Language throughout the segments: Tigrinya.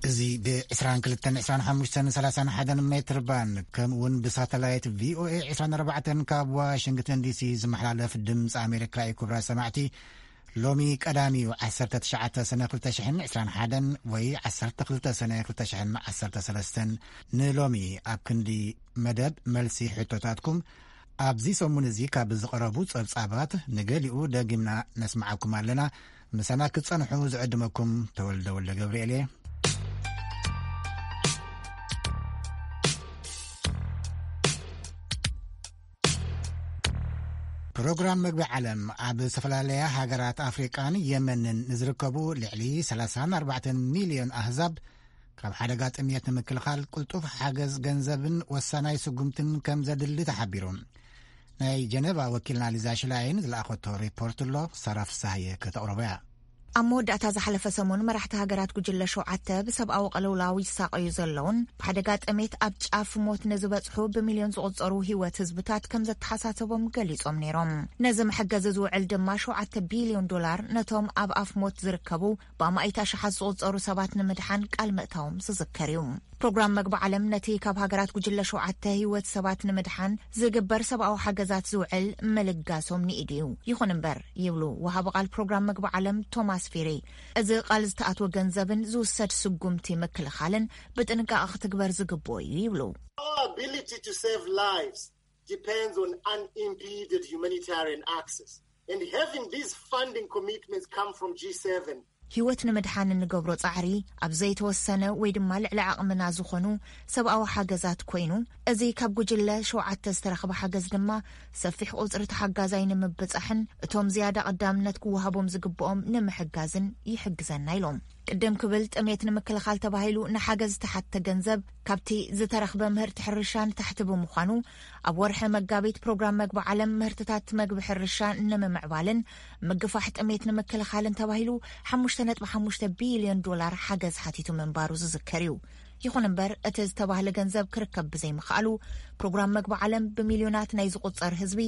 እዚ ብ22-25-31 ሜትር ባንድ ከምኡ እውን ብሳተላይት ቪኦኤ 24 ካብ ዋሽንግተን ዲሲ ዝመሓላለፍ ድምፂ ኣሜሪካ እዩ። ክቡራት ሰማዕቲ፣ ሎሚ ቀዳሚ እዩ፣ 19 ሰነ 2021 ወይ 12 ሰነ 2013። ንሎሚ ኣብ ክንዲ መደብ መልሲ ሕቶታትኩም ኣብዚ ሰሙን እዚ ካብ ዝቐረቡ ጸብጻባት ንገሊኡ ደጊምና ነስምዓኩም ኣለና። ምሳና ክትጸንሑ ዝዕድመኩም ተወልደ ወልደ ገብርኤል እየ። ፕሮግራም መግቢ ዓለም ኣብ ዝተፈላለያ ሃገራት ኣፍሪቃን የመንን ንዝርከቡ ልዕሊ 34 ሚልዮን ኣህዛብ ካብ ሓደጋ ጥምየት ንምክልኻል ቅልጡፍ ሓገዝ ገንዘብን ወሳናይ ስጉምትን ከም ዘድሊ ተሓቢሩ። ናይ ጀነቫ ወኪልና ሊዛ ሽላይን ዝለኣኸቶ ሪፖርት ኣሎ፣ ሳራ ፍሳሃየ ከተቕርቦ እያ። ኣብ መወዳእታ ዝሓለፈ ሰሙን መራሕቲ ሃገራት ጉጅለ ሸውዓተ ብሰብኣዊ ቅልውላው ይሳቐዩ ዘለውን ብሓደጋ ጥሜት ኣብ ጫፍ ሞት ንዝበጽሑ ብሚልዮን ዝቑጸሩ ህይወት ህዝብታት ከም ዘተሓሳሰቦም ገሊጾም ነይሮም። ነዚ መሐገዚ ዝውዕል ድማ 7 ቢልዮን ዶላር ነቶም ኣብ ኣፍ ሞት ዝርከቡ ብኣማኢት ኣሽሓት ዝቑጸሩ ሰባት ንምድሓን ቃል ምእታዎም ዝዝከር እዩ። ፕሮግራም መግቢ ዓለም ነቲ ካብ ሃገራት ጉጅለ ሸውዓተ ህይወት ሰባት ንምድሓን ዝግበር ሰብኣዊ ሓገዛት ዝውዕል ምልጋሶም ንኢድ እዩ። ይኹን እምበር፣ ይብሉ ወሃቢ ቃል ፕሮግራም መግቢ ዓለም ቶማስ ፊሪ፣ እዚ ቃል ዝተኣትወ ገንዘብን ዝውሰድ ስጉምቲ ምክልኻልን ብጥንቃቐ ክትግበር ዝግብኦ እዩ ይብሉ። Our ability to save lives depends on unimpeded humanitarian access. And having these funding commitments come from G seven. ህይወት ንምድሓን እንገብሮ ጻዕሪ ኣብ ዘይተወሰነ ወይ ድማ ልዕሊ ዓቕምና ዝኾኑ ሰብኣዊ ሓገዛት ኮይኑ፣ እዚ ካብ ጉጅለ ሸውዓተ ዝተረኽበ ሓገዝ ድማ ሰፊሕ ቁጽሪ ተሓጋዛይ ንምብጻሕን እቶም ዝያዳ ቀዳምነት ክወሃቦም ዝግብኦም ንምሕጋዝን ይሕግዘና ኢሎም። ቅድም ክብል ጥሜት ንምክልኻል ተባሂሉ ንሓገዝ ዝተሓተ ገንዘብ ካብቲ ዝተረኽበ ምህርቲ ሕርሻ ንታሕቲ ብምዃኑ፣ ኣብ ወርሒ መጋቢት ፕሮግራም መግቢ ዓለም ምህርትታት መግቢ ሕርሻ ንምምዕባልን ምግፋሕ ጥሜት ንምክልኻልን ተባሂሉ 5.5 ቢልዮን ዶላር ሓገዝ ሓቲቱ ምንባሩ ዝዝከር እዩ። ይኹን እምበር፣ እቲ ዝተባህለ ገንዘብ ክርከብ ብዘይምኽኣሉ፣ ፕሮግራም መግቢ ዓለም ብሚልዮናት ናይ ዝቑጸር ህዝቢ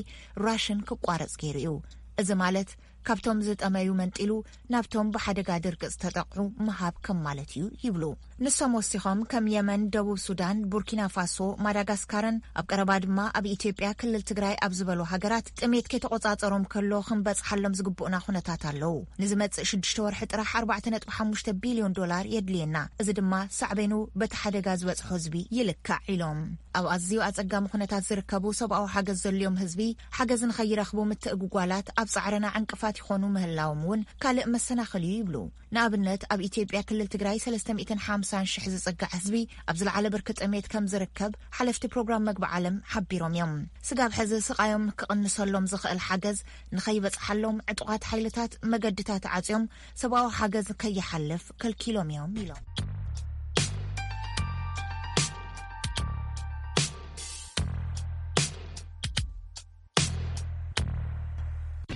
ራሽን ክቋረጽ ገይሩ እዩ። እዚ ማለት፣ ካብቶም ዝጠመዩ መንጢሉ ናብቶም ብሓደጋ ድርቂ ዝተጠቕዑ ምሃብ ከም ማለት እዩ ይብሉ። ንሶም ወሲኾም፣ ከም የመን፣ ደቡብ ሱዳን፣ ቡርኪና ፋሶ፣ ማዳጋስካርን ኣብ ቀረባ ድማ ኣብ ኢትዮጵያ ክልል ትግራይ ኣብ ዝበሉ ሃገራት ጥሜት ከይተቆጻጸሮም ከሎ ክንበጽሓሎም ዝግብኡና ኩነታት ኣለዉ። ንዝመጽእ ሽዱሽተ ወርሒ ጥራሕ 4.5 ቢልዮን ዶላር የድልየና። እዚ ድማ ሳዕቤኑ በቲ ሓደጋ ዝበጽሖ ህዝቢ ይልካዕ ኢሎም። ኣብ ኣዝዩ ኣጸጋሚ ኩነታት ዝርከቡ ሰብኣዊ ሓገዝ ዘልዮም ህዝቢ ሓገዝ ንኸይረኽቡ ምትእጉጓላት ኣብ ጻዕርና ዕንቅፋት ይኾኑ ምህላዎም እውን ካልእ መሰናኽል እዩ ይብሉ። ንኣብነት ኣብ ኢትዮጵያ ክልል ትግራይ 350,000 ዝጽጋዕ ህዝቢ ኣብ ዝለዓለ ብርኪ ጥሜት ከም ዝርከብ ሓለፍቲ ፕሮግራም መግቢ ዓለም ሓቢሮም እዮም። ስጋብ ሕዚ ስቓዮም ክቕንሰሎም ዝኽእል ሓገዝ ንኸይበጽሓሎም ዕጡቓት ሓይልታት መገድታት ዓጽዮም ሰብኣዊ ሓገዝ ከይሓልፍ ከልኪሎም እዮም ኢሎም።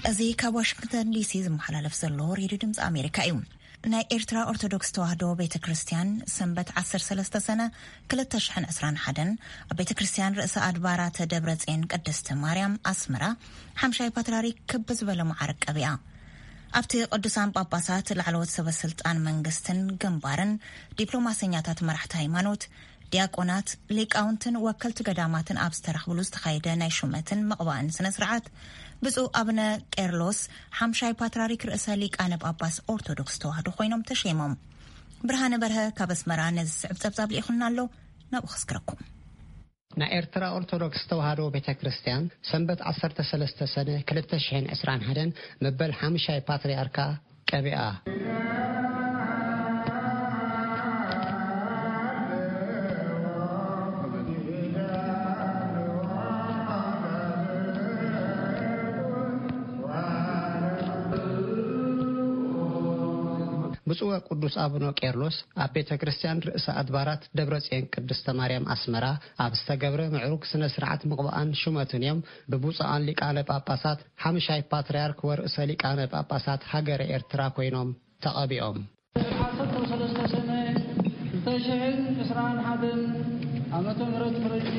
እዚ ካብ ዋሽንግተን ዲሲ ዝመሓላለፍ ዘሎ ሬድዮ ድምፂ ኣሜሪካ እዩ። ናይ ኤርትራ ኦርቶዶክስ ተዋህዶ ቤተ ክርስቲያን ሰንበት 13 ሰነ 2021 ኣብ ቤተ ክርስቲያን ርእሰ ኣድባራት ደብረ ጽዮን ቅድስቲ ማርያም ኣስመራ ሓምሻይ ፓትርያርክ ክብ ዝበለ መዓርግ ቀቢኣ። ኣብቲ ቅዱሳን ጳጳሳት፣ ላዕለዎት ሰበ ስልጣን መንግስትን ግንባርን፣ ዲፕሎማሰኛታት፣ መራሕቲ ሃይማኖት፣ ዲያቆናት፣ ሊቃውንትን ወከልቲ ገዳማትን ኣብ ዝተረኽብሉ ዝተኻየደ ናይ ሹመትን ምቕባእን ስነ ስርዓት፣ ብፁዕ ኣቡነ ቄርሎስ ሓምሻይ ፓትርያርክ ርእሰ ሊቃነ ጳጳስ ኦርቶዶክስ ተዋህዶ ኮይኖም ተሸይሞም። ብርሃነ በርሀ ካብ ኣስመራ ነዚ ዝስዕብ ጸብጻብ ልኢኹልና ኣሎ፣ ናብኡ ከስግረኩም። ናይ ኤርትራ ኦርቶዶክስ ተዋህዶ ቤተ ክርስቲያን ሰንበት 13 ሰነ 2021 መበል ሓምሻይ ፓትርያርካ ቀቢኣ። ብፁዕ ወቅዱስ ኣቡነ ቄርሎስ ኣብ ቤተ ክርስቲያን ርእሰ ኣድባራት ደብረ ጽዮን ቅድስተ ማርያም ኣስመራ ኣብ ዝተገብረ ምዕሩግ ስነ ስርዓት ምቕባኣን ሹመትን እዮም ብብፁዓን ሊቃነ ጳጳሳት ሓምሻይ ፓትርያርክ ወርእሰ ሊቃነ ጳጳሳት ሃገረ ኤርትራ ኮይኖም ተቐቢኦም። ዓሰርተ ሰለስተ ሰነ ክልተ ሽሕን ዕስራን ሓደን ዓመተ ምህረት ፈረንጂ፣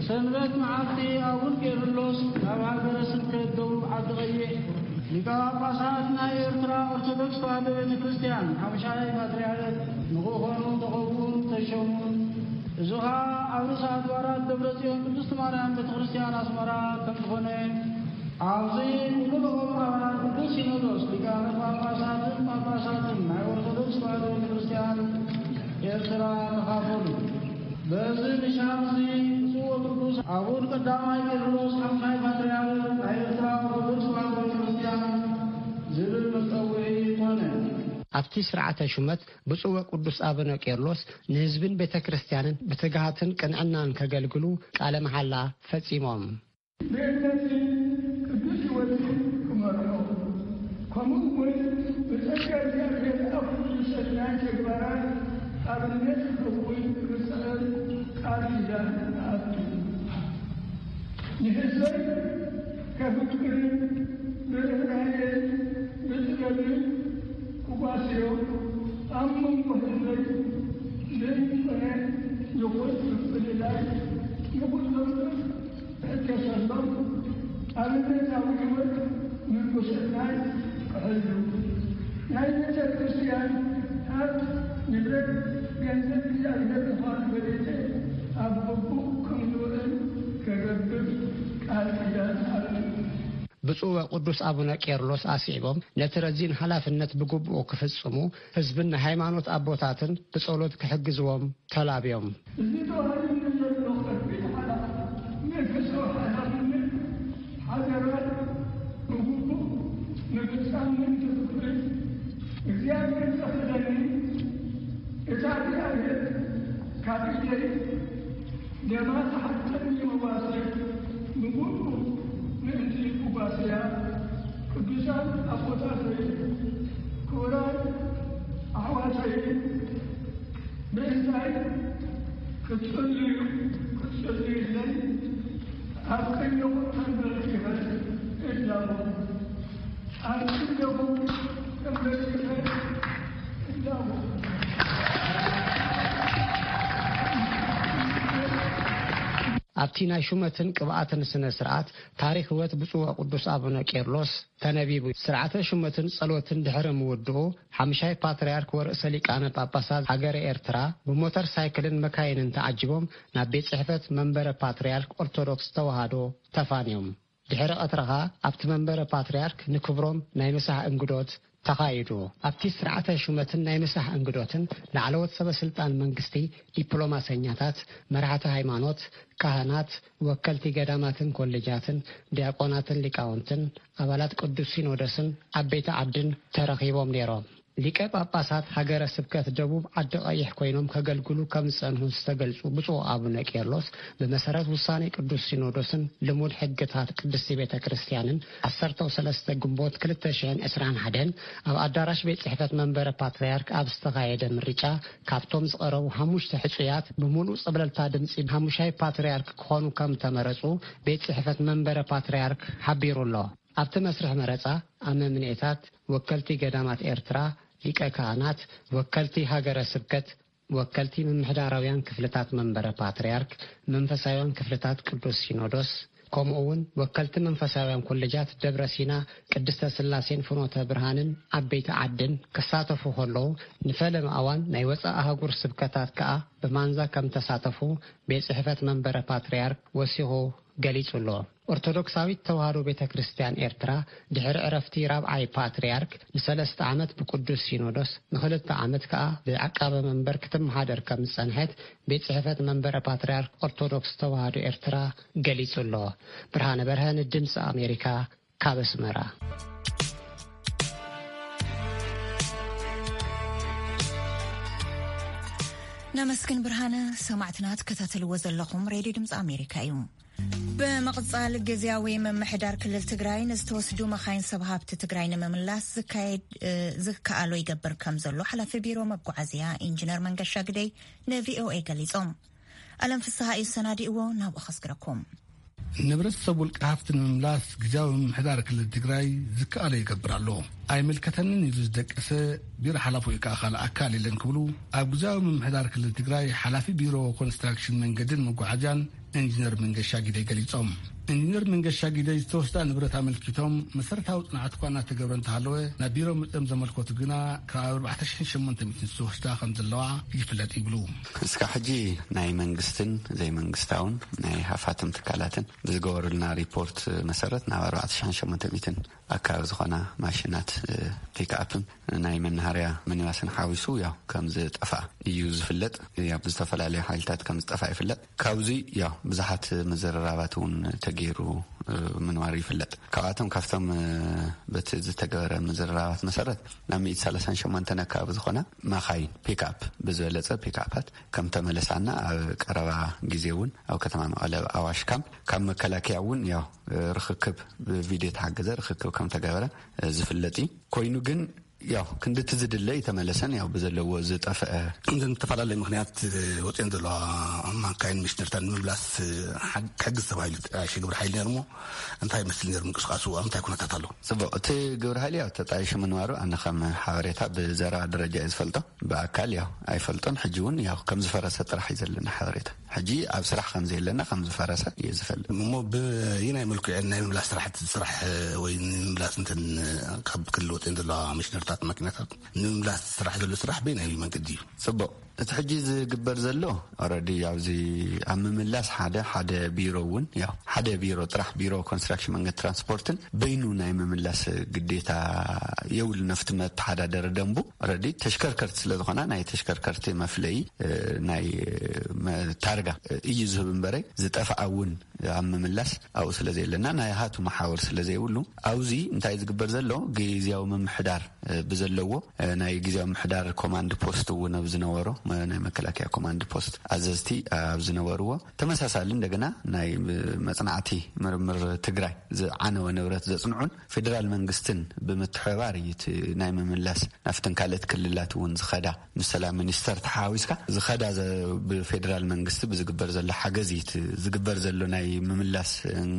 ሰንበት መዓልቲ ኣቡን ቄርሎስ ናብ ሃገረ ስብከት ደቡብ ዓዲ ቀይሕ ሊቀ ጳጳሳት ናይ ኤርትራ ኦርቶዶክስ ተዋህዶ ቤተ ክርስቲያን ሓሙሻይ ፓትርያርክ ንክኾኑ ተቐውሙን ተሸሙን። እዚ ኸኣ ኣብ ርእሰ ኣድባራት ደብረ ጽዮን ቅድስት ማርያም ቤተ ክርስቲያን ኣስመራ ከም ዝኾነ፣ ኣብዚ ንኩልኹም ኣባላት ቅዱስ ሲኖዶስ ሊቃነ ጳጳሳትን ጳጳሳትን ናይ ኦርቶዶክስ ተዋህዶ ቤተ ክርስቲያን ኤርትራ ተኻፈሉ። በዚ ምሻት እዚ ብፁዕ ወቅዱስ ኣቡን ቀዳማይ ቄርሎስ ሓሙሻይ ፓትርያርክ ናይ ኤርትራ ኦርቶዶክስ ተዋህዶ ቤተ ክርስቲያን ዝብል መጸውዒ ኮነ። ኣብቲ ስርዓተ ሹመት ብፁዕ ወቅዱስ ኣቡነ ቄርሎስ ንህዝብን ቤተ ክርስቲያንን ብትግሃትን ቅንዕናን ከገልግሉ ቃለ መሓላ ፈጺሞም። ብእምነትን ቅዱስ ሕይወትን ክመርሖ፣ ከምኡ እውን ብጸጋ እግዚኣብሔር ኣብ ኩሉ ሰናይ ተግባራት ኣብነት ክኸውን ክጽዕር ቃል ኪዳን እኣቱ። ንህዝበይ ከፍቅርን ብርህራሄን ብጥበብን ክጓስዮ፣ ኣብ መንጎ ህዝበይ ዘይኮነ ይኹን ምፍልላይ ንኹሎም ሕተሰሎም ኣብነታዊ ሕይወት ምንኩስናይ ክሕሉ፣ ናይ ቤተ ክርስቲያን ሃብት ንብረት ገንዘብ እግዚኣብሔር ምዃኑ ፈሊጠ ኣብ ግቡእ ከም ዝውዕል ከገብር ቃል ኪዳን ኣቱ። ብፁዕ ወቅዱስ ኣቡነ ቄርሎስ ኣስዒቦም፣ ነቲ ረዚን ሓላፍነት ብግቡእ ክፍጽሙ ህዝብን ናይ ሃይማኖት ኣቦታትን ብጸሎት ክሕግዝዎም ተላብዮም። እዚ ተዋሂቡኒ ዘሎ ከቢድ ሓላፍነት፣ መንፈሳዊ ሓላፍነት፣ ሓደራ ብግቡእ ምፍጻም ምእንቲ ክኽእል፣ እግዚኣብሔር ዘኽእለኒ እታ እግዚኣብሔር ካብ ኢደይ ደማ ትሓተኒ መዋሰይ ብግቡእ ምእንቲ ክጓስያ፣ ቅዱሳን ኣቦታተይ፣ ክቡራት ኣሕዋተይ፣ ምእንታይ ክትጽልዩ፣ ክትጽልዩለይ ኣብ ቅድሚኹም ተንበርኪኸ እላቦ። ኣብ ቅድሚኹም ተንበርኪኸ እላቦ። ኣብቲ ናይ ሹመትን ቅብኣትን ስነ ስርዓት፣ ታሪኽ ህይወት ብፁዕ ወቅዱስ ኣቡነ ቄርሎስ ተነቢቡ። ስርዓተ ሹመትን ጸሎትን ድሕሪ ምውድኡ፣ ሓምሻይ ፓትርያርክ ወርእሰ ሊቃነ ጳጳሳት ሃገረ ኤርትራ ብሞተር ሳይክልን መካይንን ተዓጂቦም ናብ ቤት ጽሕፈት መንበረ ፓትርያርክ ኦርቶዶክስ ተዋህዶ ተፋንዮም። ድሕሪ ቀትሪ ኸኣ ኣብቲ መንበረ ፓትርያርክ ንክብሮም ናይ ምሳሕ እንግዶት ተኻይዱ። ኣብቲ ስርዓተ ሹመትን ናይ ምሳሕ እንግዶትን ላዕለዎት ሰበ ስልጣን መንግስቲ፣ ዲፕሎማሰኛታት፣ መራሕቲ ሃይማኖት፣ ካህናት፣ ወከልቲ ገዳማትን ኮሌጃትን፣ ዲያቆናትን ሊቃውንትን፣ ኣባላት ቅዱስ ሲኖዶስን ዓበይቲ ዓድን ተረኺቦም ነይሮም። ሊቀ ጳጳሳት ሃገረ ስብከት ደቡብ ዓዲ ቀይሕ ኮይኖም ከገልግሉ ከም ዝጸንሑ ዝተገልጹ ብፁዕ ኣቡነ ቄርሎስ፣ ብመሰረት ውሳኔ ቅዱስ ሲኖዶስን ልሙድ ሕግታት ቅድስቲ ቤተ ክርስቲያንን፣ ዓሰርተ ሰለስተ ግንቦት ክልተ ሽሕን ዕስራን ሓደን ኣብ ኣዳራሽ ቤት ጽሕፈት መንበረ ፓትርያርክ ኣብ ዝተኻየደ ምርጫ፣ ካብቶም ዝቐረቡ ሓሙሽተ ሕጹያት ብምሉእ ጸብለልታ ድምጺ ሓሙሻይ ፓትርያርክ ክኾኑ ከም ተመረጹ ቤት ጽሕፈት መንበረ ፓትርያርክ ሓቢሩ ኣሎ። ኣብቲ መስርሕ መረጻ ኣመምኔታት፣ ወከልቲ ገዳማት ኤርትራ፣ ሊቀ ካህናት፣ ወከልቲ ሃገረ ስብከት፣ ወከልቲ ምምሕዳራውያን ክፍልታት መንበረ ፓትርያርክ፣ መንፈሳውያን ክፍልታት ቅዱስ ሲኖዶስ፣ ከምኡ እውን ወከልቲ መንፈሳውያን ኮሌጃት ደብረ ሲና፣ ቅድስተ ስላሴን ፍኖተ ብርሃንን ዓበይቲ ዓድን ክሳተፉ ከለዉ፣ ንፈለማ እዋን ናይ ወጻኢ ኣህጉር ስብከታት ከኣ ብማንዛ ከም ተሳተፉ ቤት ጽሕፈት መንበረ ፓትርያርክ ወሲኹ ገሊጹ ኣሎ። ኦርቶዶክሳዊት ተዋህዶ ቤተ ክርስቲያን ኤርትራ ድሕሪ ዕረፍቲ ራብዓይ ፓትርያርክ ንሰለስተ ዓመት ብቅዱስ ሲኖዶስ፣ ንኽልተ ዓመት ከኣ ብዓቃበ መንበር ክትመሓደር ከም ዝጸንሐት ቤት ጽሕፈት መንበረ ፓትርያርክ ኦርቶዶክስ ተዋህዶ ኤርትራ ገሊጹ ኣሎ። ብርሃነ በርሀ ንድምጺ ኣሜሪካ ካብ ኣስመራ። ነመስግን ብርሃነ። ሰማዕትና ትከታተልዎ ዘለኹም ሬድዮ ድምፂ ኣሜሪካ እዩ። ብምቕፃል፣ ግዝያዊ ምምሕዳር ክልል ትግራይ ንዝተወስዱ መኻይን ሰብ ሃብቲ ትግራይ ንምምላስ ዝካየድ፣ እ፣ ዝከኣሎ ይገብር ከም ዘሎ ሓላፊ ቢሮ መጓዓዝያ ኢንጂነር መንገሻ ግደይ ንቪኦኤ ገሊፆም። ኣለም ፍስሃ እዩ ሰናዲእዎ፣ ናብኡ ከስግረኩም። ንብረት ሰብ ውልቀ ሃፍቲ ንምምላስ ግዝያዊ ምምሕዳር ክልል ትግራይ ዝከኣሎ ይገብር ኣሎ። ኣይምልከተንን ኢሉ ዝደቀሰ ቢሮ ሓላፎ ወይ ከዓ ካልእ ኣካል የለን ክብሉ ኣብ ግዝያዊ ምምሕዳር ክልል ትግራይ ሓላፊ ቢሮ ኮንስትራክሽን መንገድን መጓዓዝያን ኢንጂነር መንገሻ ጊደይ ገሊጾም። ኢንጂነር መንገሻ ጊደይ ዝተወስዳ ንብረት ኣመልኪቶም መሰረታዊ ጽንዓት እኳ እናተገብረ እንተሃለወ፣ ናብ ቢሮ መጺኦም ዘመልከቱ ግና ካብ ኣርባዕተ ሽሕን ሸሞንተ ሚእትን ዝተወስዳ ከም ዘለዋ ይፍለጥ ይብሉ። እስካብ ሕጂ ናይ መንግስትን ዘይመንግስታውን ናይ ሃፋትም ትካላትን ብዝገበሩልና ሪፖርት መሰረት ናብ ኣርባዕተ ሽሕን ሸሞንተ ሚእትን ኣካባቢ ዝኾና ማሽናት ፒክኣፕን ናይ መናሃርያ ሚኒባስን ሓዊሱ ያው ከም ዝጠፍኣ እዩ ዝፍለጥ። ያው ብዝተፈላለዩ ሓይልታት ከም ዝጠፍኣ ይፍለጥ። ካብዚ ያው ብዙሓት ምዝርራባት እውን ተገይሩ ምንባሩ ይፍለጥ። ካብኣቶም ካብቶም በቲ ዝተገበረ ምዝርራባት መሰረት ናብ ሚእቲ ሰላሳን ሸሞንተን ኣካባቢ ዝኾና ማኻይን ፒክኣፕ ብዝበለጸ ፒክኣፓት ከም ተመለሳና ኣብ ቀረባ ግዜ እውን ኣብ ከተማ መቐለ ኣብ ኣዋሽ ካምፕ ካብ መከላከያ እውን ያው ርኽክብ ብቪድዮ ተሓገዘ ርኽክብ ከም ተገበረ ዝፍለጥ እዩ። ኮይኑ ግን ያው ክንድቲ ዝድለ ይተመለሰን ያው ብዘለዎ ዝጠፍአ እንተን ዝተፈላለየ ምክንያት ወፅኤን ዘለዋ ማካይን ሚሽነርታት ንምምላስ ሓግ- ክሕግዝ ተባሂሉ ተጣይሸ ግብረ ሓይሊ ነርሞ እንታይ ይመስል ነር ምንቅስቃሱ ኣብ እንታይ ኩነታት ኣሎ? ጽቡቕ፣ እቲ ግብረ ሓይሊ ያው ተጣይሹ ምንባሩ ኣነ ከም ሓበሬታ ብዘረባ ደረጃ እየ ዝፈልጦ። ብኣካል ያው ኣይፈልጦን። ሕጂ እውን ያው ከም ዝፈረሰ ጥራሕ እዩ ዘለና ሓበሬታ። ሕጂ ኣብ ስራሕ ከም ዘየለና ከም ዝፈረሰ እየ ዝፈልጥ። እሞ ብይናይ መልክዑ ናይ ምምላስ ስራሕቲ ስራሕ ወይ ንምምላስ እንትን ካብ ክልል ወፅኤን ዘለዋ ሚሽነርታት ማኪናታት ንምምላስ ስራሕ ዘሎ ስራሕ በይናይ መንገዲ እዩ? ጽቡቕ፣ እቲ ሕጂ ዝግበር ዘሎ ኦረዲ ኣብዚ ኣብ ምምላስ ሓደ ሓደ ቢሮ እውን ያው ሓደ ቢሮ ጥራሕ ቢሮ ኮንስትራክሽን መንገድ ትራንስፖርትን በይኑ ናይ ምምላስ ግዴታ የብሉ። ነፍቲ መተሓዳደሪ ደንቡ ኦረዲ ተሽከርከርቲ ስለ ዝኾና ናይ ተሽከርከርቲ መፍለይ ናይ ታርጋ እዩ ዝህብ እምበረ ዝጠፍኣ እውን ኣብ ምምላስ ኣብኡ ስለ ዘየለና ናይ ሃቱ መሓወር ስለ ዘይብሉ ኣብዚ እንታይ ዝግበር ዘሎ ግዝያዊ ምምሕዳር ብዘለዎ ናይ ግዝያዊ ምምሕዳር ኮማንድ ፖስት እውን ኣብ ዝነበሮ ናይ መከላከያ ኮማንድ ፖስት ኣዘዝቲ ኣብ ዝነበርዎ ተመሳሳሊ እንደገና ናይ መጽናዕቲ ምርምር ትግራይ ዝዓነወ ንብረት ዘጽንዑን ፌደራል መንግስትን ብምትሕባር እዩ እቲ ናይ ምምላስ ናብተን ካልኦት ክልላት እውን ዝኸዳ ምስ ሰላም ሚኒስተር ተሓዋዊስካ ዝኸዳ ብፌደራል መንግስቲ ብዝግበር ዘሎ ሓገዝ እዩ ዝግበር ዘሎ ናይ ምምላስ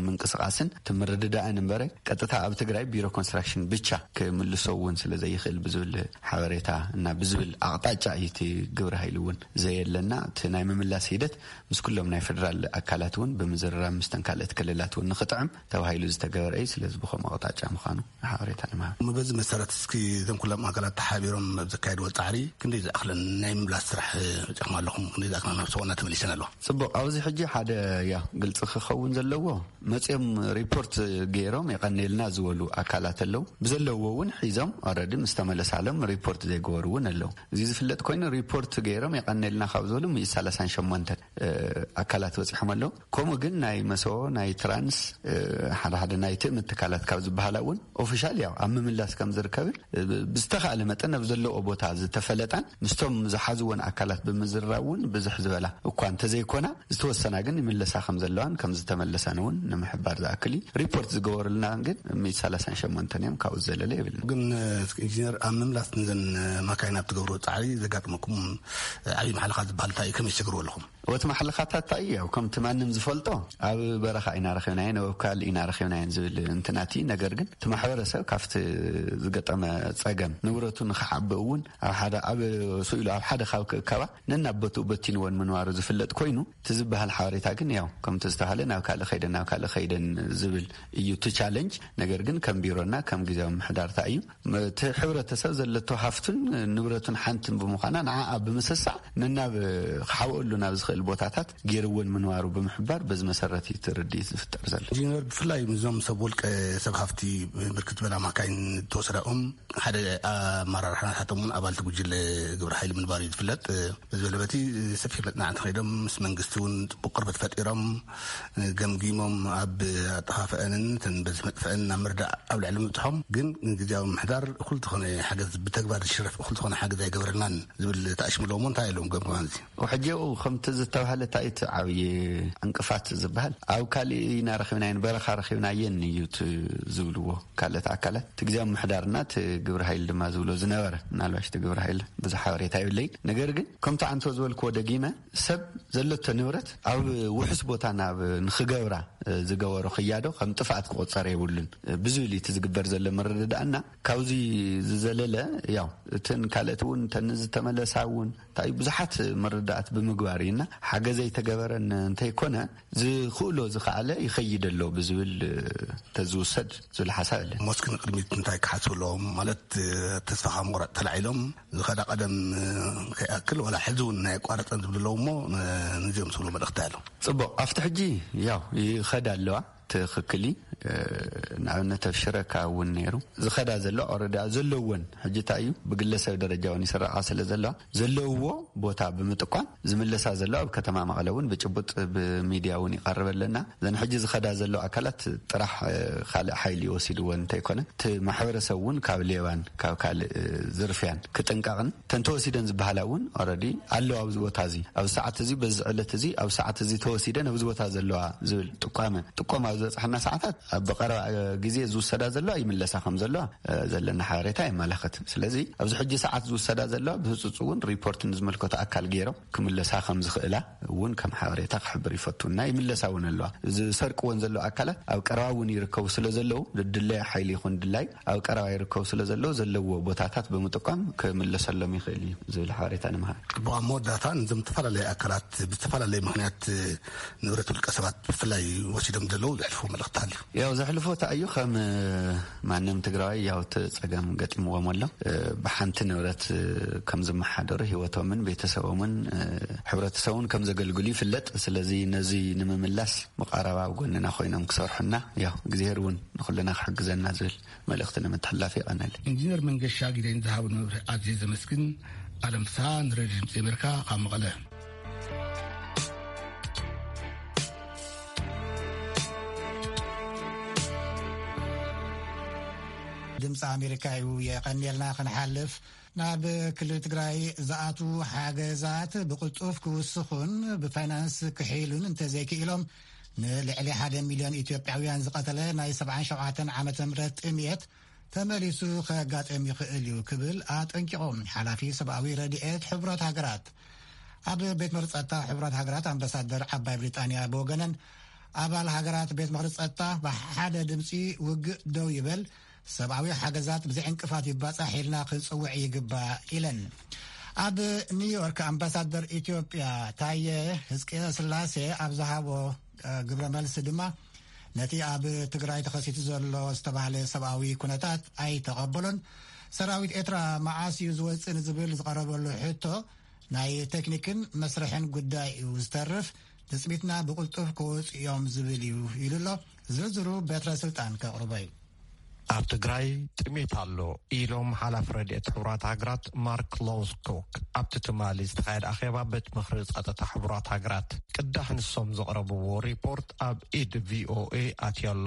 ምንቅስቃስን ትምርድዳእን እምበረ ቀጥታ ኣብ ትግራይ ቢሮ ኮንስትራክሽን ብቻ ክምልሶ እውን ስለ ዘይኽእል ብዝብል ሓበሬታ እና ብዝብል ኣቕጣጫ እዩ እቲ ግብረ ሓይሊ እውን ዘየለና እቲ ናይ ምምላስ ሂደት ምስ ኩሎም ናይ ፌደራል ኣካላት እውን ብምዝርራብ ምስተን ካልኦት ክልላት እውን ንክጥዕም ተባሂሉ ዝተገበረ እዩ። ስለዚ ብኸምኡ ኣቕጣጫ ምዃኑ ሓበሬታ ንምሃብ። እሞ በዚ መሰረት እስኪ እዞም ኩሎም ኣካላት ተሓቢሮም ኣብ ዘካየድዎ ፃዕሪ ክንደይ ዝኣኽለን ናይ ምምላስ ስራሕ በፂኹም ኣለኹም? ክንደይ ዝኣኽለን ናብ ሰውና ተመሊሰን ኣለዋ? ጽቡቕ፣ ኣብዚ ሕጂ ሓደ ያ ግልፂ ክኸውን ዘለዎ መፅኦም ሪፖርት ገይሮም የቐኔልና ዝበሉ ኣካላት ኣለዉ። ብዘለዎ እውን ሒዞም ኦረዲ ምስ ተመለሳሎም ሪፖርት ዘይገበሩ እውን ኣለዉ። እዚ ዝፍለጥ ኮይኑ ሪፖርት ገይሮም የቐኔልና ካብ ዝበሉ ሚእቲ ሰላሳን ሸሞንተን ኣካላት በፂሖም ኣለዉ። ከምኡ ግን ናይ መሰቦ ናይ ትራንስ ሓደ ሓደ ናይ ትእምት ትካላት ካብ ዝበሃላ እውን ኦፊሻል ያው ኣብ ምምላስ ከም ዝርከብን ብዝተኻእለ መጠን ኣብ ዘለዎ ቦታ ዝተፈለጣን ምስቶም ዝሓዝዎን ኣካላት ብምዝራብ እውን ብዝሕ ዝበላ እኳ እንተዘይኮና ዝተወሰና ግን ይምለሳ ከም ዘለዋን ከም ዝተመለሳን እውን ንምሕባር ዝኣክል እዩ። ሪፖርት ዝገበሩልና ግን ሚእቲ ሰላሳን ሸሞንተን እዮም። ካብኡ ዘለለ የብልና። ግን ኢንጂነር ኣብ ምምላስ ንዘን ማካይን ኣብ ትገብሮ ፃዕሪ ዘጋጥመኩም ዓብዪ ማሕለኻ ዝበሃል እንታይ እዩ? ከመይ ትሰግርዎ ኣለኹም? እቲ ማሕለኻታት እንታይ እዩ? ከምቲ ማንም ዝፈልጦ ኣብ በረኻ ኢና ረኺብናየን ኣብ ካልእ ኢና ረኺብናየን ዝብል እንትናት እዩ። ነገር ግን እቲ ማሕበረሰብ ካብቲ ዝገጠመ ፀገም ንብረቱ ንክዓቢ እውን ኣብ ሓደ ኣብ ስኢሉ ኣብ ሓደ ካብ ክእከባ ነናብ ቦትኡ በቲንዎን ምንባሩ ዝፍለጥ ኮይኑ እቲ ዝበሃል ሓበሬታ ግን ያው ከምቲ ዝተባሃለ ናብ ካልእ ከይደን ናብ ካልእ ከይደን ዝብል እዩ እቲ ቻለንጅ። ነገር ግን ከም ቢሮና ከም ግዜያዊ ምምሕዳርታ እዩ እቲ ሕብረተሰብ ዘለቶ ሃፍቱን ንብረቱን ሓንትን ብምዃና ንዓኣ ብምስሳዕ ነናብ ክሓብአሉ ናብ ዝኽእል ቦታታት ገይርዎን ምንባሩ ብምሕባር በዚ መሰረት እዩ እቲ ርድኢት ዝፍጠር ዘሎ። ኢንጂነር ብፍላይ ምስዞም ሰብ ውልቀ ሰብ ሃፍቲ ብርክት ዝበላ ማካይን ተወሰዳኦም ሓደ ኣመራርሓ ናታቶም እውን ኣባልቲ ጉጅለ ግብረ ሓይሊ ምንባሩ እዩ ዝፍለጥ። በዚ በለ በቲ ሰፊሕ መፅናዕቲ ከይዶም ምስ መንግስቲ እውን ፅቡቅ ቅርበት ፈጢሮም ገምጊሞም ኣብ ኣጠፋፍአንን እተን በዚ መጥፍአን ናብ ምርዳእ ኣብ ልዕሊ ምብፅሖም ግን ግዜያዊ ምምሕዳር እኹል ዝኾነ ሓገዝ ብተግባር ዝሽረፍ እኹል ዝኾነ ሓገዝ ኣይገበረልናን ዝብል ተኣሽሙ ኣለዎ። እንታይ ኣለዎም ገምግማን እዚ? ሕጂ ከምቲ ዝተባህለ እንታይ እቲ ዓብዪ ዕንቅፋት ዝበሃል ኣብ ካሊእ ኢና ረኺብናየን በረኻ ረኺብናየን እዩ እቲ ዝብልዎ ካልኦት ኣካላት እቲ ግዜያዊ ምምሕዳርና እቲ ግብረ ሓይሊ ድማ ዝብሎ ዝነበረ ምናልባሽ እቲ ግብረ ሓይሊ ብዙሕ ሓበሬታ የብለይ። ነገር ግን ከምቲ ዓንቶ ዝበልክዎ ደጊመ ሰብ ዘለቶ ንብረት ኣብ ውሑስ ቦታ ናብ ንክገብራ ዝገበሮ ክያዶ ከም ጥፍኣት ክቆፀር የብሉን ብዝብል እቲ ዝግበር ዘሎ ምርድዳእና ካብዚ ዝዘለለ ያው እተን ካልኦት እውን እተን ዝተመለሳ እውን እንታይ ብዙሓት ምርዳእት ብምግባር እዩና፣ ሓገዘይ ተገበረን እንተይኮነ ዝኽእሎ ዝኸኣለ ይኸይድ ኣሎ ብዝብል ተዝውሰድ ዝብል ሓሳብ ኣለ። ሞስክ ንቅድሚት እንታይ ክሓስቡ ኣለዎም ማለት፣ ተስፋ ካብ ምቑራፅ ተላዒሎም ዝኸዳ ቀደም ከይኣክል ዋላ ሕዚ እውን ናይ ኣቋረፀን ዝብሉ ኣለዉ እሞ፣ ንዚኦም ዝብሉ መልእኽቲ ኣሎ። ፅቡቕ፣ ኣብቲ ሕጂ ያው ይኸዳ ኣለዋ። ትኽክል እዩ። ንኣብነት ኣብ ሽረ ካብ እውን ነይሩ ዝኸዳ ዘሎ ኦረዳ ዘለወን ሕጂ እንታይ እዩ ብግለሰብ ደረጃ እውን ይስረዓ ስለ ዘለዋ ዘለውዎ ቦታ ብምጥቋም ዝምለሳ ዘሎ ኣብ ከተማ መቐለ እውን ብጭቡጥ ብሚድያ እውን ይቐርብ ኣለና። እዘን ሕጂ ዝኸዳ ዘሎ ኣካላት ጥራሕ ካልእ ሓይሊ ይወሲድወን እንተይኮነ እቲ ማሕበረሰብ እውን ካብ ሌባን ካብ ካልእ ዝርፍያን ክጥንቀቕን ተንተወሲደን ዝበሃላ እውን ኦረዲ ኣለዋ ኣብዚ ቦታ እዚ ኣብዚ ሰዓት እዚ በዚ ዕለት እዚ ኣብ ሰዓት እዚ ተወሲደን ኣብዚ ቦታ ዘለዋ ዝብል ጥቋመ ጥቆማ ኣብ ዝበፅሓና ሰዓታት ኣብ ብቐረባ ግዜ ዝውሰዳ ዘለዋ ይምለሳ ከም ዘለዋ ዘለና ሓበሬታ የመላኽት። ስለዚ ኣብዚ ሕጂ ሰዓት ዝውሰዳ ዘለዋ ብህፁፅ እውን ሪፖርት ንዝመልከቱ ኣካል ገይሮም ክምለሳ ከም ዝኽእላ እውን ከም ሓበሬታ ክሕብር ይፈቱ እና ይምለሳ እውን ኣለዋ። ዝሰርቅወን ዘለዉ ኣካላት ኣብ ቀረባ እውን ይርከቡ ስለ ዘለዉ ድድለያ ሓይሊ ይኹን ድላይ ኣብ ቀረባ ይርከቡ ስለ ዘለዉ ዘለዎ ቦታታት ብምጥቋም ክምለሰሎም ይኽእል እዩ ዝብል ሓበሬታ ንምሃብ። ብኣብ መወዳእታ ንዞም ዝተፈላለዩ ኣካላት ብዝተፈላለየ ምክንያት ንብረት ውልቀ ሰባት ብፍላይ ወሲዶም ዘለዉ ዘሕልፉ መልእኽቲ ኣሎ። ያው ዘሕልፎ እንታይ እዩ ከም ማንም ትግራዋይ ያው እቲ ፀገም ገጢምዎም ኣሎ። ብሓንቲ ንብረት ከም ዝመሓደሩ ህይወቶምን ቤተሰቦምን ሕብረተሰቡን ከም ዘገልግሉ ይፍለጥ። ስለዚ ነዚ ንምምላስ መቃረባ ኣብ ጎንና ኮይኖም ክሰርሑና ያው እግዚኣብሔር እውን ንኩልና ክሕግዘና ዝብል መልእኽቲ ንምትሕላፍ የቐነል። ኢንጂነር መንገሻ ጊደኝ ዝሃቡ መብርሂ ኣዝየ ዘመስግን። ኣለም ፍስሃ ንሬድዮ ድምፂ ኣሜሪካ ካብ መቐለ። ድምፂ ኣሜሪካ እዩ። የቐንየልና። ክንሓልፍ ናብ ክልል ትግራይ ዝኣትዉ ሓገዛት ብቕልጡፍ ክውስኹን ብፋይናንስ ክሕይሉን እንተዘይክኢሎም ንልዕሊ ሓደ ሚልዮን ኢትዮጵያውያን ዝቐተለ ናይ ሰብዓን ሸውዓተን ዓመተ ምህረት ጥምየት ተመሊሱ ከጋጥም ይኽእል እዩ ክብል ኣጠንቂቖም ሓላፊ ሰብኣዊ ረድኤት ሕቡራት ሃገራት። ኣብ ቤት መርጸታ ሕቡራት ሃገራት ኣምባሳደር ዓባይ ብሪጣንያ ብወገነን ኣባል ሃገራት ቤት መርጸታ ብሓደ ድምፂ ውግእ ደው ይበል፣ ሰብኣዊ ሓገዛት ብዘይ ዕንቅፋት ይባጻሕ ኢልና ክንጽውዕ ይግባእ ኢለን። ኣብ ኒውዮርክ ኣምባሳደር ኢትዮጵያ ታየ ህዝቅኤ ስላሴ ኣብ ዝሃቦ ግብረ መልሲ ድማ ነቲ ኣብ ትግራይ ተኸሲቱ ዘሎ ዝተባህለ ሰብኣዊ ኩነታት ኣይተቐበሎን። ሰራዊት ኤርትራ መዓስ እዩ ዝወፅእ ንዝብል ዝቐረበሉ ሕቶ ናይ ቴክኒክን መስርሕን ጉዳይ እዩ ዝተርፍ፣ ትፅቢትና ብቕልጡፍ ክወፁ እዮም ዝብል እዩ ኢሉ ኣሎ። ዝርዝሩ በትረ ስልጣን ከቕርቦ እዩ። ኣብ ትግራይ ጥሜት ኣሎ ኢሎም ሓላፊ ረድኤት ሕቡራት ሃገራት ማርክ ሎውስኮክ ኣብቲ ትማሊ ዝተኻየደ ኣኼባ ቤት ምኽሪ ጸጥታ ሕቡራት ሃገራት ቅዳሕ ንሶም ዘቕረብዎ ሪፖርት ኣብ ኢድ ቪኦኤ ኣትዮ ኣሎ።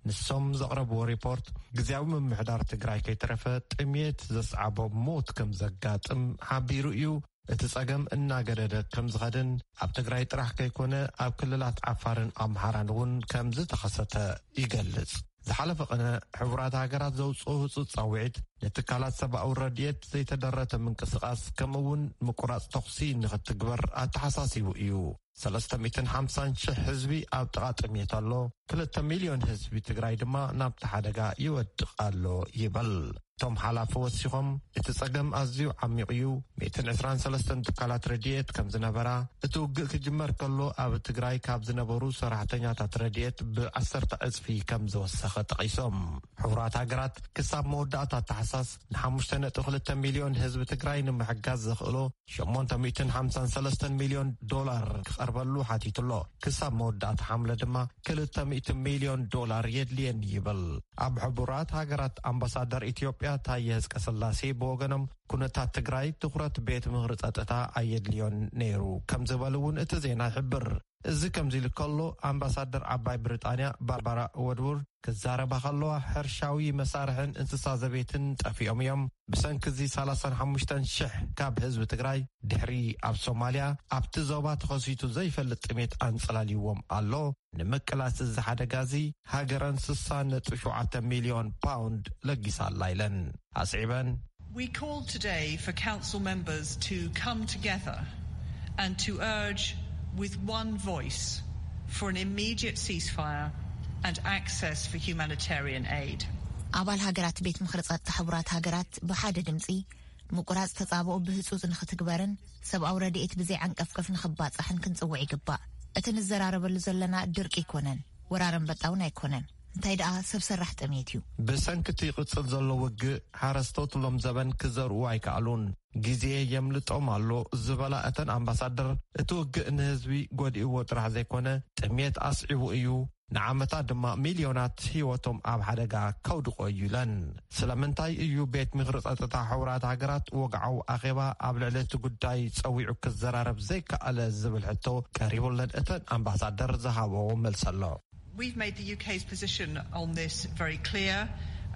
ንሶም ዘቕረብዎ ሪፖርት ግዜያዊ ምምሕዳር ትግራይ ከይተረፈ ጥሜት ዘስዓቦ ሞት ከም ዘጋጥም ሓቢሩ እዩ። እቲ ጸገም እናገደደ ከም ዝኸድን ኣብ ትግራይ ጥራሕ ከይኮነ ኣብ ክልላት ዓፋርን ኣምሓራን እውን ከም ዝተኸሰተ ይገልጽ። ዝሓለፈ ቅነ ሕቡራት ሃገራት ዘውፅኦ ህፁፅ ፃውዒት ንትካላት ሰብኣዊ ረድኤት ዘይተደረተ ምንቅስቃስ ከምኡ እውን ምቁራፅ ተኹሲ ንክትግበር ኣተሓሳሲቡ እዩ። ሰለስተ ሚእትን ሓምሳን ሽሕ ህዝቢ ኣብ ጥቓ ጥሜት ኣሎ። ክልተ ሚልዮን ህዝቢ ትግራይ ድማ ናብቲ ሓደጋ ይወድቕ ኣሎ ይበል። እቶም ሓላፊ ወሲኾም እቲ ጸገም ኣዝዩ ዓሚቕ እዩ። ሚእትን ዕስራን ሰለስተን ትካላት ረድኤት ከም ዝነበራ፣ እቲ ውግእ ክጅመር ከሎ ኣብ ትግራይ ካብ ዝነበሩ ሰራሕተኛታት ረድኤት ብዓሰርተ ዕጽፊ ከም ዝወሰኸ ጠቒሶም። ሕቡራት ሃገራት ክሳብ መወዳእታ ታሕሳስ ንሓሙሽተ ነጥቢ ክልተ ሚልዮን ህዝቢ ትግራይ ንምሕጋዝ ዘኽእሎ ሸሞንተ ሚእትን ሓምሳን ሰለስተን ሚልዮን ዶላር ክቐርበሉ ሓቲቱ ኣሎ። ክሳብ መወዳእታ ሓምለ ድማ ክልተ ሚእቲ ሚልዮን ዶላር የድልየኒ ይብል። ኣብ ሕቡራት ሃገራት ኣምባሳደር ኢትዮጵያ ታየ ህዝቀስላሴ ብወገኖም፣ ኩነታት ትግራይ ትኹረት ቤት ምኽሪ ጸጥታ ኣየድልዮን ነይሩ ከም ዝበሉ እውን እቲ ዜና ይሕብር። እዚ ከምዚ ኢሉ ከሎ፣ ኣምባሳደር ዓባይ ብሪጣንያ ባርባራ ወድውርድ ክዛረባ ከለዋ፣ ሕርሻዊ መሳርሕን እንስሳ ዘቤትን ጠፊኦም እዮም። ብሰንኪ እዚ ሰላሳን ሓሙሽተን ሽሕ ካብ ህዝቢ ትግራይ ድሕሪ ኣብ ሶማልያ ኣብቲ ዞባ ተኸሲቱ ዘይፈልጥ ጥሜት ኣንጸላልይዎም ኣሎ። ንምቅላስ እዚ ሓደጋ እዚ ሃገረን ስሳ ነጥቢ ሸውዓተ ሚልዮን ፓውንድ ለጊሳ ኣላ ኢለን ኣስዒበን። We call today for council members to come together and to urge with one voice for an immediate ceasefire and access for humanitarian aid. ኣባል ሃገራት ቤት ምኽሪ ጸጥታ ሕቡራት ሃገራት ብሓደ ድምጺ ምቁራጽ ተጻብኦ ብህጹጽ ንኽትግበርን ሰብኣዊ ረድኤት ብዘይ ዓንቀፍቀፍ ንኽባጻሕን ክንጽውዕ ይግባእ። እቲ ንዘራረበሉ ዘለና ድርቂ ኣይኮነን፣ ወራር ኣንበጣ እውን ኣይኮነን። እንታይ ደኣ ሰብ ሰራሕ ጥሜት እዩ። ብሰንኪ እቲ ይቕጽል ዘሎ ውግእ፣ ሓረስቶት ሎም ዘበን ክዘርኡ ኣይከኣሉን። ግዜ የምልጦም ኣሎ ዝበላ እተን ኣምባሳደር፣ እቲ ውግእ ንህዝቢ ጎዲእዎ ጥራሕ ዘይኮነ፣ ጥሜት ኣስዒቡ እዩ፣ ንዓመታት ድማ ሚልዮናት ህይወቶም ኣብ ሓደጋ ከውድቖ እዩ ኢለን። ስለምንታይ እዩ ቤት ምኽሪ ጸጥታ ሕቡራት ሃገራት ወግዓዊ ኣኼባ ኣብ ልዕሊ እቲ ጉዳይ ጸዊዑ ክዘራረብ ዘይከኣለ ዝብል ሕቶ ቀሪቡለን እተን ኣምባሳደር ዝሃበዎ መልሲ ኣሎ። We've made the U K's position on this very clear.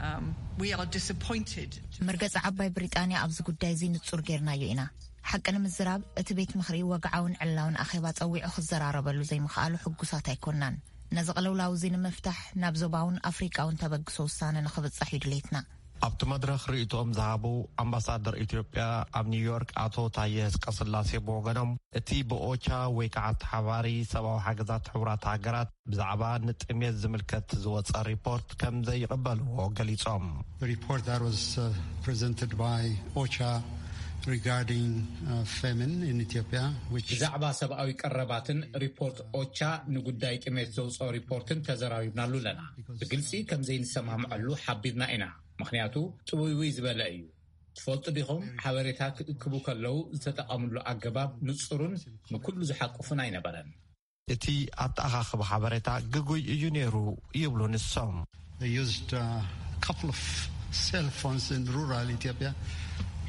Um, we are disappointed. መርገጺ ዓባይ ብሪጣንያ ኣብዚ ጉዳይ እዚ ንጹር ጌርናዮ ኢና። ሓቂ ንምዝራብ፣ እቲ ቤት ምኽሪ ወግዓውን ዕላውን ኣኼባ ጸዊዑ ክዘራረበሉ ዘይምኽኣሉ ሕጉሳት ኣይኮናን። ነዚ ቅልውላው እዚ ንምፍታሕ ናብ ዞባውን ኣፍሪቃውን ተበግሶ ውሳነ ንኽብጻሕ እዩ ድሌትና። ኣብቲ መድረኽ ርእይቶኦም ዝሃቡ ኣምባሳደር ኢትዮጵያ ኣብ ኒውዮርክ ኣቶ ታየ ህዝቀስላሴ ብወገኖም፣ እቲ ብኦቻ ወይ ከዓ ተሓባሪ ሰብኣዊ ሓገዛት ሕቡራት ሃገራት ብዛዕባ ንጥሜት ዝምልከት ዝወፀ ሪፖርት ከም ዘይቕበልዎ ገሊፆም። The report that was uh, presented by OCHA regarding uh, famine in Ethiopia, which ብዛዕባ ሰብኣዊ ቀረባትን ሪፖርት ኦቻ ንጉዳይ ጥሜት ዘውፅኦ ሪፖርትን ተዘራሪብናሉ ኣለና። ብግልፂ ከም ዘይንሰማምዐሉ ሓቢርና ኢና። ምኽንያቱ ጥውይውይ ዝበለ እዩ። ትፈልጡ ዲኹም፣ ሓበሬታ ክእክቡ ከለዉ ዝተጠቐምሉ ኣገባብ ንጹርን ንኩሉ ዝሓቁፍን ኣይነበረን። እቲ ኣተኣኻኽባ ሓበሬታ ግጉይ እዩ ነይሩ ይብሉ ንሶም። They used a couple of cell phones in rural Ethiopia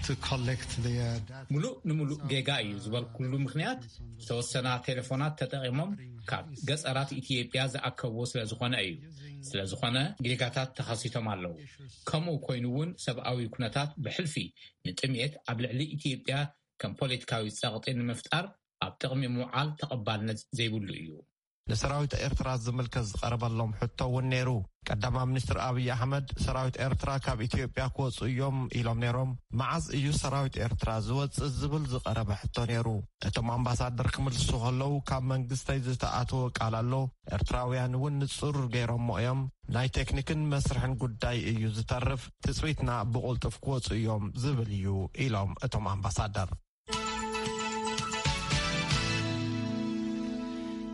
to collect their data. ምሉእ ንምሉእ ጌጋ እዩ ዝበልኩሉ ምኽንያት፣ ዝተወሰና ቴሌፎናት ተጠቒሞም ካብ ገጸራት ኢትዮጵያ ዝኣከብዎ ስለ ዝኾነ እዩ። ስለ ዝኾነ ጌጋታት ተኸሲቶም ኣለዉ። ከምኡ ኮይኑ እውን ሰብኣዊ ኩነታት ብሕልፊ ንጥሜት ኣብ ልዕሊ ኢትዮጵያ ከም ፖለቲካዊ ጸቕጢ ንምፍጣር ኣብ ጥቕሚ ምውዓል ተቐባልነት ዘይብሉ እዩ። ንሰራዊት ኤርትራ ዝምልከት ዝቐረበሎም ሕቶ እውን ነይሩ። ቀዳማይ ሚኒስትር ኣብይ ኣሕመድ ሰራዊት ኤርትራ ካብ ኢትዮጵያ ክወፁ እዮም ኢሎም ነይሮም። መዓዝ እዩ ሰራዊት ኤርትራ ዝወፅእ ዝብል ዝቐረበ ሕቶ ነይሩ። እቶም ኣምባሳደር ክምልሱ ከለዉ ካብ መንግስተይ ዝተኣተወ ቃል ኣሎ። ኤርትራውያን እውን ንፁር ገይሮሞ እዮም። ናይ ቴክኒክን መስርሕን ጉዳይ እዩ ዝተርፍ። ትፅቢትና ብቕልጡፍ ክወፁ እዮም ዝብል እዩ ኢሎም እቶም ኣምባሳደር።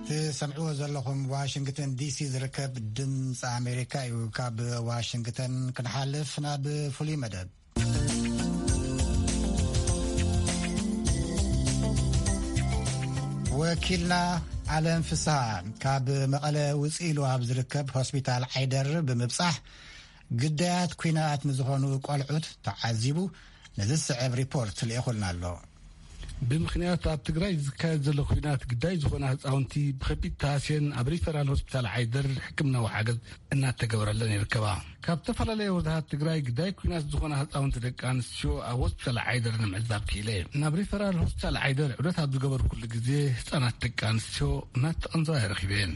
ትሰምዕዎ ዘለኹም ዋሽንግተን ዲሲ ዝርከብ ድምፂ ኣሜሪካ እዩ። ካብ ዋሽንግተን ክንሓልፍ ናብ ፍሉይ መደብ። ወኪልና ዓለም ፍስሃ ካብ መቐለ ውፅእ ኢሉ ኣብ ዝርከብ ሆስፒታል ዓይደር ብምብፃሕ ግዳያት ኲናት ንዝኾኑ ቆልዑት ተዓዚቡ ንዝስዕብ ሪፖርት ልኢኹልና ኣሎ። ብምኽንያት ኣብ ትግራይ ዝካየድ ዘሎ ኲናት ግዳይ ዝኾና ህፃውንቲ ብኸቢድ ተሃስየን ኣብ ሪፈራል ሆስፒታል ዓይደር ሕክምናዊ ሓገዝ እናተገበረለን ይርከባ። ካብ ዝተፈላለየ ወረዳታት ትግራይ ግዳይ ኲናት ዝኾና ህፃውንቲ ደቂ ኣንስትዮ ኣብ ሆስፒታል ዓይደር ንምዕዛብ ክኢለ። ናብ ሪፈራል ሆስፒታል ዓይደር ዑደት ኣብ ዝገበርኩሉ ግዜ ህፃናት ደቂ ኣንስትዮ እናተቐንዘዋ ይረኺበን።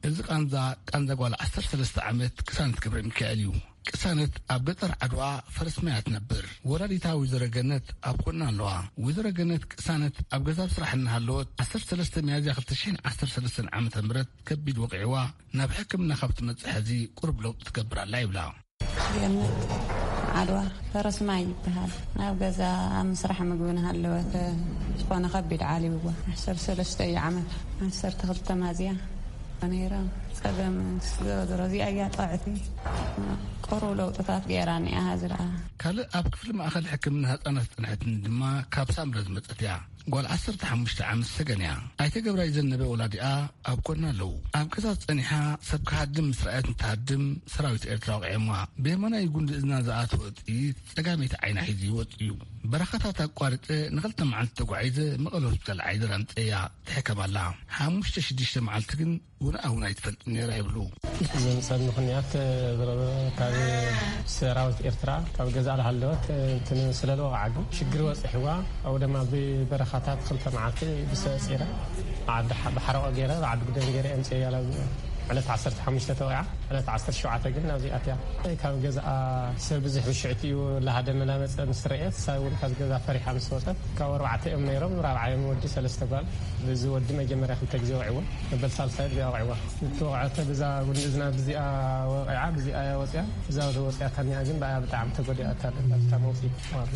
እዚ ቃንዛ፣ ቃንዛ ጓል ዓሰርተ ሰለስተ ዓመት ቅሳነት ገብረ ሚካኤል እዩ። ቅሳነት ኣብ ገጠር ዓድዋ ፈረስ ማያ ትነብር። ወላዲታ ወይዘሮ ገነት ኣብ ጎና ኣለዋ። ወይዘሮ ገነት ቅሳነት ኣብ ገዛ ኣብ ስራሕ እናሃለወት ዓሰርተ ሰለስተ ሚያዝያ ክልተ ሽሕን ዓሰርተ ሰለስተን ዓመተ ምህረት ከቢድ ወቂዕዋ ናብ ሕክምና ካብ ትመጽእ ሕዚ ቁሩብ ለውጢ ትገብር ኣላ ይብላ። ገነት ዓድዋ ፈረስ ማይ ይበሃል። ናብ ገዛ ኣብ ምስራሕ ምግቢ እናሃለወት ዝኾነ ከቢድ ዓሊብዋ። ዓሰርተ ሰለስተ እዩ ዓመት። ዓሰርተ ክልተ ሚያዝያ ነይራ። ጸገም ስለ ዝሮ እዚኣ እያ ጥዕቲ። ቁሩብ ለውጥታት ገይራ እኒኣ ዝረኣ። ካልእ ኣብ ክፍሊ ማእኸል ሕክምና ህፃናት ዝፀንሐትን ድማ ካብ ሳምረ ዝመፀት እያ። ጓል ዓሰርተ ሓሙሽተ ዓመት ሰገን እያ። ኣይተ ገብራይ ዘነበ ወላዲኣ ኣብ ጎና ኣለዉ። ኣብ ገዛ ጸኒሓ ሰብ ክሃድም ምስ ረኣየት፣ እንትሃድም ሰራዊት ኤርትራ ወቒዖማ። ብየማናይ ጉንዲ እዝና ዝኣተወ ጥይት ጸጋመይቲ ዓይና ሒዙ ይወጽእ እዩ። በረኻታት ኣቋሪጸ ንኽልተ መዓልቲ ተጓዒዘ መቐለ ሆስፒታል ዓይደር ኣምጸያ ትሕከም ኣላ። ሓሙሽተ ሽዱሽተ መዓልቲ ግን ውንኣ እውን ኣይትፈልጥን ነይራ ይብሉ። ዘምጸኒ ምኽንያት ካብ ሰራዊት ኤርትራ ካብ ገዛ ዝሃለወት እንትን ስለለዎ ዓዱ ሽግር በጺሕዋ። ኣብኡ ድማ ብበረኻታት ክልተ መዓልቲ ብሰ ጺረ ዓዲ ሓ-፣ ብሓረቆ ገይረ ብዓዲ ጉደን ገይረ ኣምጽያ። ዕለት ዓሰርተ ሓሙሽተ ተወቂዓ። ዕለት ዓሰርተ ሸውዓተ ግን ናብዚ ኣትያ። ካብ ገዛኣ ሰብ ብዙሕ ብሽዕቲ እዩ፣ ላሃደመ እናመፀ ምስ ረአየት፣ እሳ እውን ካብ ገዛ ፈሪሓ ምስ ወፀት፣ ካብ ኣርባዕተ እዮም ነይሮም፣ ራብዓ እዮም ወዲ፣ ሰለስተ ጓል። ብዚ ወዲ መጀመርያ ክልተ ግዜ ወዒዎ፣ መበል ሳልሳይ ብዚኣ ወዒዋ። ዝተወቕዐተ ብዛ ጉንዲ እዝና ብዚኣ ወቂዓ፣ ብዚኣ እያ ወፂኣ። እዛ ወፂኣታ እኒኣ ግን ብኣያ ብጣዕሚ ተጎዲኣታ ኣላ፣ ብታ መውፂ።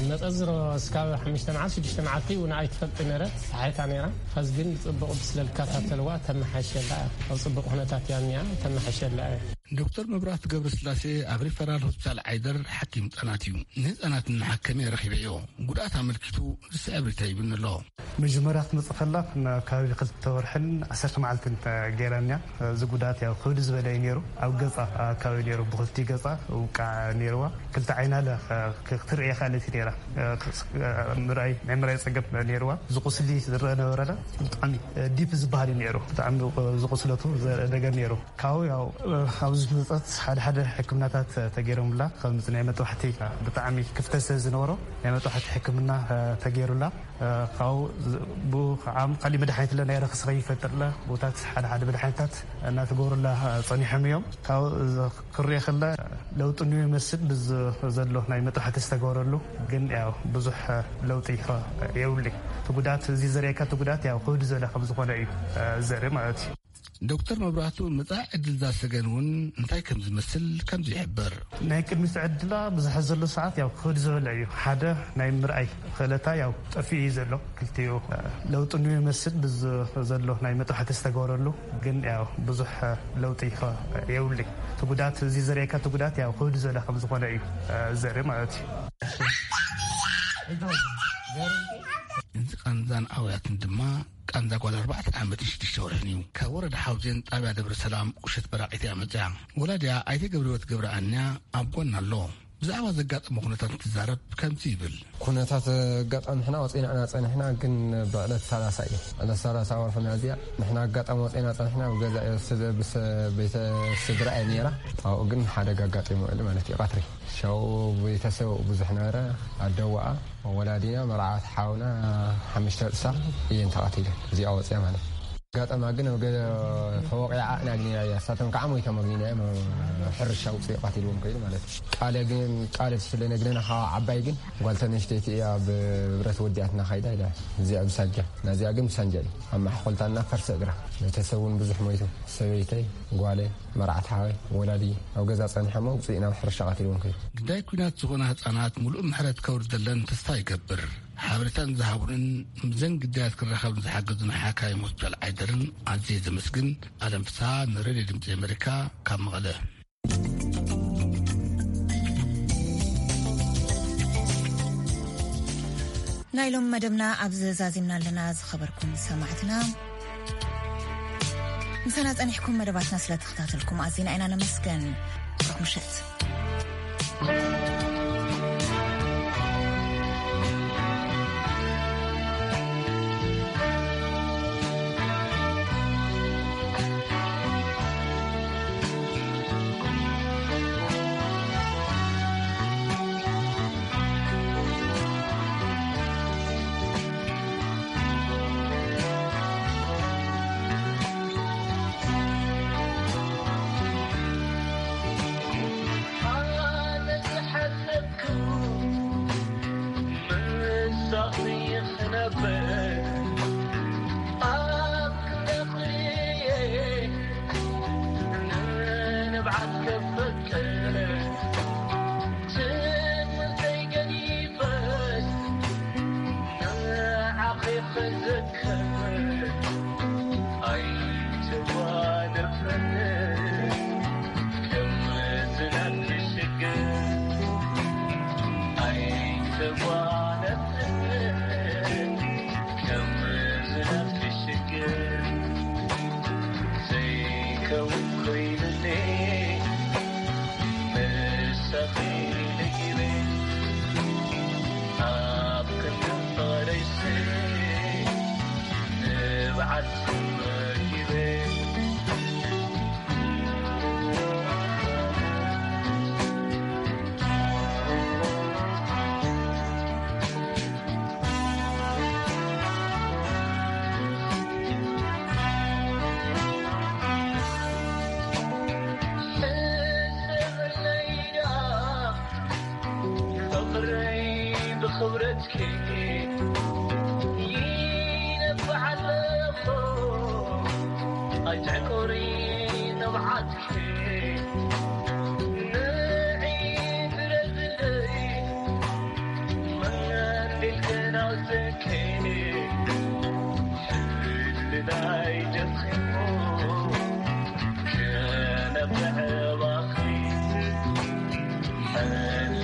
መፀ ዝሮ እስካብ ሓሙሽተ መዓልቲ፣ ሽዱሽተ መዓልቲ እውን ኣይትፈልጥ ነይረት፣ ፀሓይታ ነይራ። ኸዚ ግን ብፅቡቕ ብስለ ልከታተልዋ ተመሓይሸላ እያ። ኣብ ፅቡቕ ኩነታት እያ እኒኣ፣ ተመሓይሸላ እያ። ዶክተር መብራህቱ ገብረስላሴ ኣብ ሪፈራል ሆስፒታል ዓይደር ሓኪም ህጻናት እዩ። ንህጻናት እናሓከመ ረኺበዮ። ጉድኣት ኣመልኪቱ ዝስዕብ ሪታ ይብልኒ ኣሎ። መጀመርያ ክትመጽእ ከላ ናብ ከባቢ ክልተ ወርሕን ዓሰርተ መዓልትን ገይራንያ። እዚ ጉድኣት ያው ክብድ ዝበለ እዩ ነይሩ። ኣብ ገጻ ኣካባቢ ነይሩ፣ ብክልቲ ገጻ ውቃዕ ነይርዋ። ክልተ ዓይና ለ ክትርኢ ይኽእል እቲ ነይራ። ምርኣይ ናይ ምርኣይ ጸገም ነይርዋ። እዚ ቁስሊ ዝረአ ነበረለ ብጣዕሚ ዲፕ ዝበሃል እዩ ነይሩ። ብጣዕሚ ዝቁስለቱ ዘረአ ነገር ነይሩ። ካብኡ ያው ኣብዚ መጸት ሓደ ሓደ ሕክምናታት ተገይሮምላ። ከምዚ ናይ መጥባሕቲ ብጣዕሚ ክፍተት ስለ ዝነበሮ ናይ መጥባሕቲ ሕክምና ተገይሩላ። ካብኡ ዝ- ብኡ ከዓ ካሊእ መድሓኒት ለ ናይ ረክሲ ከይፈጥርለ ቦታት ሓደ ሓደ መድሓኒታት እናተገብሩላ ጸኒሖም እዮም። ካብኡ ዝ- ክሪኦ ከለ ለውጢ እንዮ ይመስል ብዝ- ዘሎ ናይ መጥባሕቲ ዝተገበረሉ ግን ያው ብዙሕ ለውጢ የብሉይ። እቲ ጉዳት እዚ ዘርእየካ እቲ ጉዳት ያው ክብድ ዝበለ ከም ዝኾነ እዩ ዘርኢ ማለት እዩ። ዶክተር መብራህቱ መጻኢ ዕድል እዛ ሰገን እውን እንታይ ከም ዝመስል ከምዚ ይሕብር። ናይ ቅድሚት ዕድላ ብዙሕ ዘሎ ሰዓት ያው ክብድ ዝበለ እዩ። ሓደ ናይ ምርኣይ ክእለታ ያው ጠፊኡ እዩ ዘሎ። ክልቲኡ ለውጢ እንዮ ይመስል ብዝ- ዘሎ ናይ መጥባሕቲ ዝተገበረሉ ግን ያው ብዙሕ ለውጢ የብሉይ። እቲ ጉዳት እዚ ዘርእየካ እቲ ጉዳት ያው ክብድ ዝበለ ከም ዝኾነ እዩ ዘርኢ ማለት እዩ። እዚ ቃንዛን ኣውያትን ድማ ቃንዛ ጓል ኣርባዕተ ዓመትን ሽዱሽተ ወርሕን እዩ። ካብ ወረዳ ሓውዜን ጣብያ ደብረ ሰላም ቁሸት በራቂት እያ መፅያ። ወላዲያ ኣይተ ገብረህይወት ገብረኣንያ ኣብ ጎና ኣሎ። ብዛዕባ ዘጋጠመ ኩነታት እንትዛረብ ከምዚ ይብል። ኩነታት ኣጋጣሚ ንሕና ወፂና ኢና ፀኒሕና፣ ግን ብዕለት ሰላሳ እዩ። ዕለት ሰላሳ ወርሒ ሚያዝያ ንሕና ኣጋጣሚ ወፂና ፀኒሕና፣ ኣብ ገዛ እየ ስለ ብሰ- ቤተ ስድራ እየ ነይራ። ኣብኡ ግን ሓደጋ ኣጋጢሙ ውዕሊ ማለት እዩ፣ ቀትሪ። ሻው ቤተሰብ ብዙሕ ነበረ፣ ኣደዋኣ፣ ወላዲና፣ መርዓት ሓውና፣ ሓሙሽተ ርእሳ እየን ተቐቲለን። እዚኣ ወፂኣ ማለት እዩ። ኣጋጣማ ግን ኣብ ገለ ተወቂዓ ኢና ኣግኒናያ፣ እሳቶም ከዓ ሞይቶም ኣግኒናዮም። ሕርሻ ውፅኢ ቀቲልዎም ከይዱ ማለት እዩ። ቃለ ግን ቃለ ስለ ነግረና ከዓ ዓባይ ግን ጓል ተነሽተይቲ እያ ብብረት ወዲኣትና ካይዳ ኢላ። እዚኣ ብሳጃ ናዚኣ ግን ብሳንጃ እዩ ኣብ ማሕኮልታና ፈርሰ እግራ። ቤተሰብ እውን ብዙሕ ሞይቱ። ሰበይተይ፣ ጓለይ፣ መርዓት ሓወይ፣ ወላዲ ኣብ ገዛ ጸኒሖሞ ውፅእ ናብ ሕርሻ ቀቲልዎም ከይዱ። ግዳይ ኲናት ዝኾና ህጻናት ምሉእ ምሕረት ከውርደለን ተስፋ ይገብር። ሓበሬታን ዝሃቡንን ምስዘን ግዳያት ክራኸብን ዝሓገዙን ሓካይም ሆስፒታል ዓይደርን ኣዝየ ዘመስግን። ኣለም ፍስሃ ንሬድዮ ድምፂ ኣሜሪካ ካብ መቐለ። ናይ ሎም መደብና ኣብዚ ዛዚምና ኣለና። ዝኸበርኩም ሰማዕትና፣ ምሳና ጸኒሕኩም መደባትና ስለ ተኸታተልኩም ኣዚና ኢና ነመስገን። ብሩኽ ምሸት። ክብረትኪ